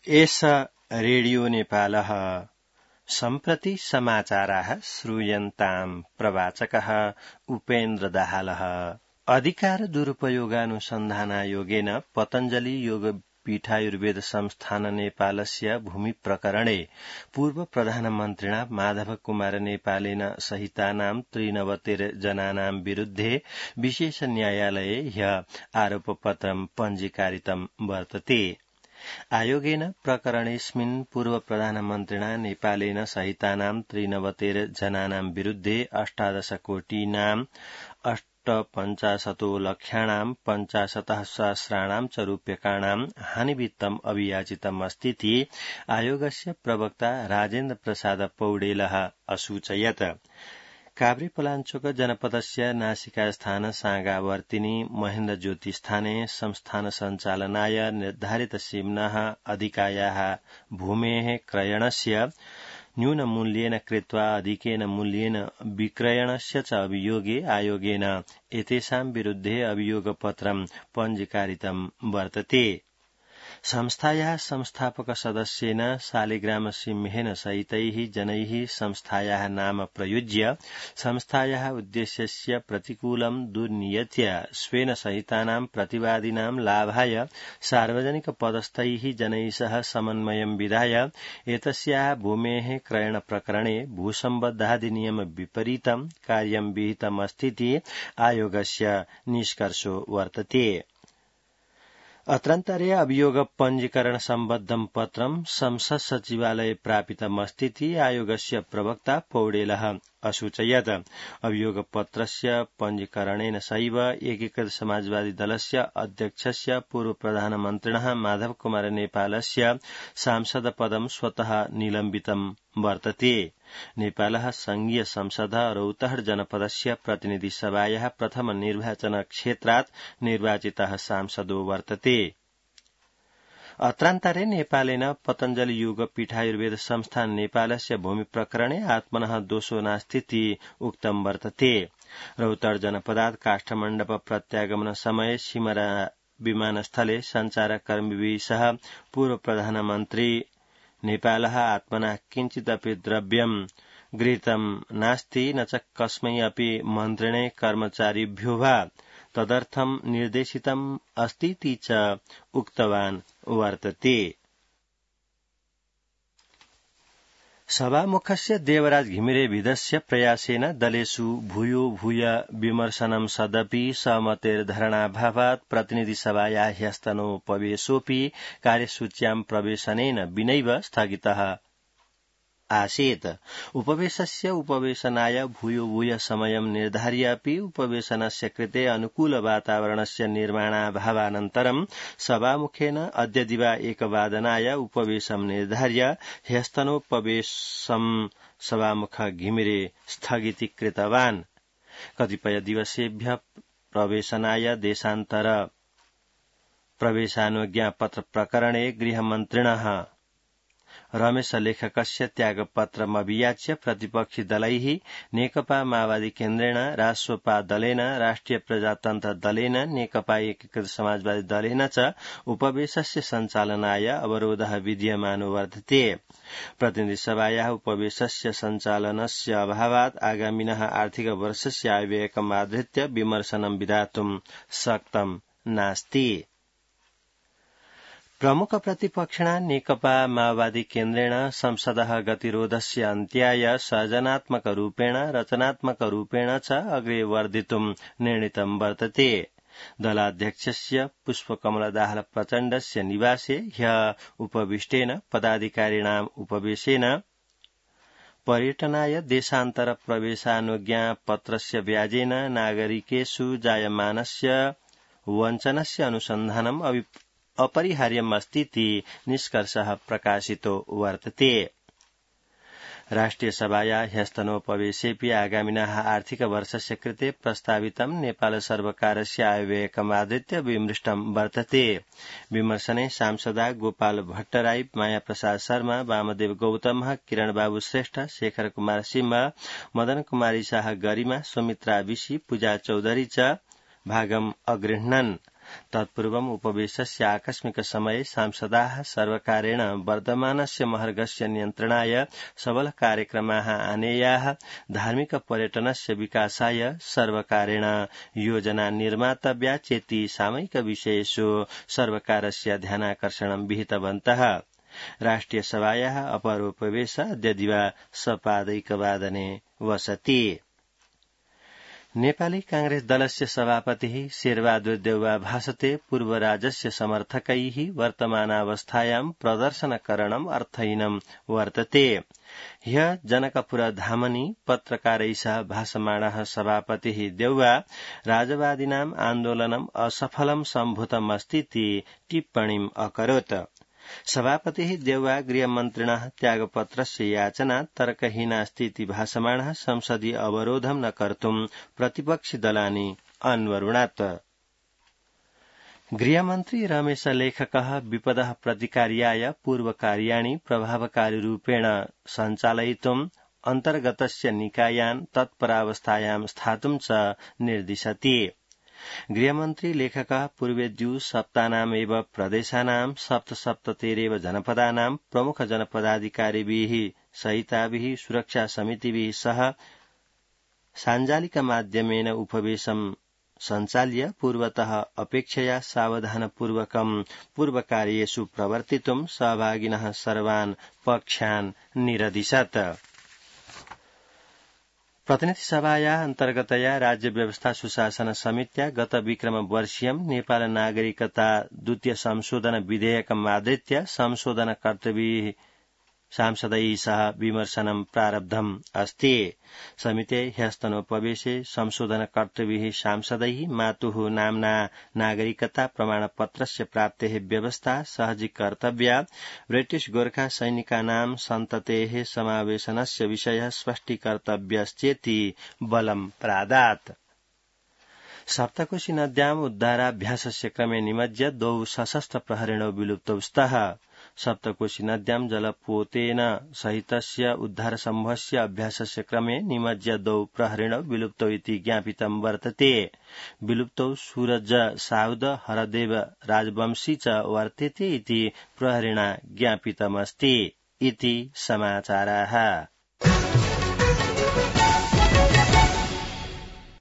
एष रेडियो नेपालः सम्प्रति समाचाराः श्रूयन्ताम् प्रवाचकः उपेन्द्र दाहालः। अधिकार दुरुपयोगानुसन्धानायोगेन पतञ्जलि योगपीठायुर्वेद संस्थान नेपालस्य भूमि प्रकरणे पूर्व प्रधानमन्त्रिणा माधव कुमार नेपालेन सहितानां 93 जनानां विरुद्धे विशेष न्यायालये ह्य आरोपपत्रं पञ्जीकारितं वर्तते। आयोगेन प्रकरणेऽस्मिन् पूर्व प्रधानमन्त्रिणा नेपालेन सहितानां 93 जनानां विरुद्धे 18 कोटीनां 58 लक्षाणां 50 सहस्राणां च रूप्यकाणां हानिवित्तम् अभियाचितम् अस्तीति आयोगस्य प्रवक्ता राजेन्द्र प्रसाद पौडेलः असूचयत्। काभ्रेपलाञ्चोक जनपदस्य नासिकास्थान सागावर्तिनी महेन्द्र ज्योति स्थाने संस्थान सञ्चालनाय निर्धारित सीम्नः अधिकायाः भूमेः क्रयणस्य न्यूनमूल्येन कृत्वा अधिकेन मूल्येन विक्रयणस्य च अभियोगे आयोगेन एतेषां विरुद्धे अभियोगपत्रं पञ्जीकारितं वर्तते। संस्थायाः संस्थापक सदस्येन शालिग्राम सिंहेन सहितैः जनैः संस्थायाः नाम प्रयुज्य संस्थायाः उद्देश्यस्य प्रतिकूलं दुर्नियत्य स्वेन सहितानां प्रतिवादिनां लाभाय सार्वजनिक पदस्थैः जनैः सह समन्वयं विधाय एतस्याः भूमेः क्रयण प्रकरणे भूसम्बद्धाधिनियम विपरीतं कार्यं विहितमस्तीति आयोगस्य निष्कर्षो वर्तते। अत्रन्तरे अभियोग पञ्जीकरण सम्बद्धं पत्रं संसद सचिवालये प्रापितमस्तीति आयोगस्य प्रवक्ता पौडेलः असूचयत्। अभियोगपत्रस्य पञ्जीकरणेन सैव एकीकृत समाजवादी दलस्य अध्यक्षस्य पूर्व प्रधानमन्त्रिणः माधव कुमार नेपालस्य सांसद पदं स्वतः निलम्बितं वर्तते। नेपालः संघीय संसद रौतहट जनपदस्य प्रतिनिधि सभायाः प्रथम निर्वाचन क्षेत्रात् निर्वाचितः सांसदो वर्तते। अत्रान्तरे नेपालेन पतञ्जलि योगपीठायुर्वेद संस्थान नेपालस्य भूमि प्रकरणे आत्मनः दोषो नास्तीति उक्तं वर्तते। रौतहट जनपदात् काष्ठमण्डप प्रत्यागमन समये सिमरा विमानस्थले सञ्चारकर्मिभिः सह पूर्व प्रधानमन्त्री नेपालः आत्मनः किञ्चिदपि द्रव्यं गृहीतं नास्ति न च कस्मै अपि मन्त्रिणे कर्मचारिभ्यो वा तदर्थं निर्देशितम् अस्तीति च उक्तवान् वर्तते। सभामुखस्य देवराज घिमिरेविधस्य प्रयासेन दलेषु भूयो भूय विमर्शनं सदपि सहमतेर्धरणाभावात् प्रतिनिधिसभाया ह्यस्तनोपवेशोऽपि कार्यसूच्यां प्रवेशनेन विनैव स्थगितः आसीत्। उपवेशस्य उपवेशनाय भूयो भूय समयं निर्धार्य अपि उपवेशनस्य कृते अनुकूल वातावरणस्य निर्माणाभावानन्तरं सभामुखेन अद्य दिवा 1 उपवेशं निर्धार्य ह्यस्तनोपवेशं सभामुख घिमिरे स्थगितीकृतवान्। कतिपय दिवसेभ्यः प्रवेशनाय देशान्तर प्रवेशानुज्ञापत्र प्रकरणे गृहमन्त्रिणः रमेश लेखकस्य त्यागपत्रमभियाच्य प्रतिपक्षी दलैः नेकपा माओवादी केन्द्रेण राष्ट्रपा दलेन राष्ट्रिय प्रजातन्त्र दलेन नेकपा एकीकृत समाजवादी दलेन च उपवेशस्य सञ्चालनाय अवरोधः विद्यमानो वर्तते। प्रतिनिधिसभायाः उपवेशस्य सञ्चालनस्य अभावात् आगामिनः आर्थिक वर्षस्य आयव्ययकम् आधृत्य विमर्शनं विधातुं शक्तं नास्ति। प्रमुख प्रतिपक्षिणा नेकपा माओवादी केन्द्रेण संसदः गतिरोधस्य अन्त्याय सर्जनात्मकरूपेण रचनात्मकरूपेण च अग्रे वर्धितुं निर्णीतं वर्तते। दलाध्यक्षस्य पुष्पकमल दाहाल प्रचण्डस्य निवासे ह्यः उपविष्टेन पदाधिकारिणाम् उपवेशेन पर्यटनाय देशान्तर प्रवेशानुज्ञापत्रस्य व्याजेन नागरिकेषु जायमानस्य वञ्चनस्य अनुसन्धानम् अपरिहार्यमस्तीति निष्कर्षः प्रकाशितो वर्तते। राष्ट्रियसभाया ह्यस्तनोपवेशेऽपि आगामिनः आर्थिक वर्षस्य कृते प्रस्तावितं नेपाल सर्वकारस्य आयव्ययकमाधृत्य विमृष्टं वर्तते। विमर्शने सांसदा गोपाल भट्टराई, माया प्रसाद शर्मा, वामदेव गौतमः, किरण बाबू श्रेष्ठ, शेखर कुमार सिंह, मदन कुमारी शाह गरिमा, सुमित्रा विशी, पूजा चौधरी च भागम् अगृह्णन्। तत्पूर्वम् उपवेशस्य आकस्मिक समये सांसदाः सर्वकारेण वर्धमानस्य महर्घस्य नियन्त्रणाय सबल कार्यक्रमाः आनेयाः धार्मिक पर्यटनस्य विकासाय सर्वकारेण योजना निर्मातव्या चेति सामयिक विषयेषु सर्वकारस्य ध्यानाकर्षणं विहितवन्तः। राष्ट्रियसभायाः अपरोपवेश अद्य दिवा सपादैकवादने वसति। नेपाली कांग्रेस दलस्य सभापतिः शेरबहादुर देउवा भाषते पूर्वराजस्य समर्थकैः वर्तमानावस्थायां प्रदर्शनकरणम् अर्थहीनम् वर्तते। ह्यः जनकपुरधामनि पत्रकारैः सह भाषमाणः सभापतिः देउवा राजवादिनाम् आन्दोलनम् असफलम् सम्भूतमस्तीति टिप्पणीम् अकरोत्। सभापतिः देउवा गृहमन्त्रिणः त्यागपत्रस्य याचना तर्कहीनास्तीति भाषमाणः संसदीय अवरोधं न कर्तुम् प्रतिपक्षिदलानि अन्वरुणात्। गृहमन्त्री रमेश लेखकः विपदः प्रतिकार्याय पूर्वकार्याणि प्रभावकारिरूपेण सञ्चालयितुम् अन्तर्गतस्य निकायान् तत्परावस्थायां स्थातुं च निर्दिशति। गृहमन्त्री लेखकः पूर्वेद्यु सप्तानामेव प्रदेशानां सप्तसप्ततिरेव जनपदानां प्रमुख जनपदाधिकारिभिः सहिताभिः सुरक्षा समितिभिः सह साञ्जालिकमाध्यमेन उपवेशं सञ्चाल्य पूर्वतः अपेक्षया सावधानपूर्वकं पूर्वकार्येषु प्रवर्तितुं सहभागिनः सर्वान् पक्षान् निरदिशत्। प्रतिनिधिसभाया अन्तर्गतया राज्य व्यवस्था सुशासन समित्या गत विक्रम वर्षीयं नेपाल नागरिकता द्वितीय संशोधन विधेयकम् आधृत्य संशोधन कर्तव्यैः सांसदैः सह विमर्शनं प्रारब्धम् अस्ति। समिते ह्यस्तनोपवेशे संशोधन कर्तव्यैः सांसदैः मातुः नाम्ना नागरिकता प्रमाणपत्रस्य प्राप्तेः व्यवस्था सहजी कर्तव्या ब्रिटिश गोर्खा सैनिकानां सन्ततेः समावेशनस्य विषयः स्पष्टीकर्तव्यश्चेति बलं प्रादात्। सप्तकोशी नद्याम् उद्धाराभ्यासस्य क्रमे निमज्य द्वौ सशस्त्र प्रहरिणौ विलुप्तौ स्तः। सप्तकोशी नद्यां जलपोतेन सहितस्य उद्धार समूहस्य अभ्यासस्य क्रमे निमज्य द्वौ प्रहरिणौ विलुप्तौ इति ज्ञापितं वर्तते। विलुप्तौ सूरज साउद हरदेव राजवंशी च वर्तेते इति प्रहरिणा ज्ञापितमस्ति इति समाचाराः।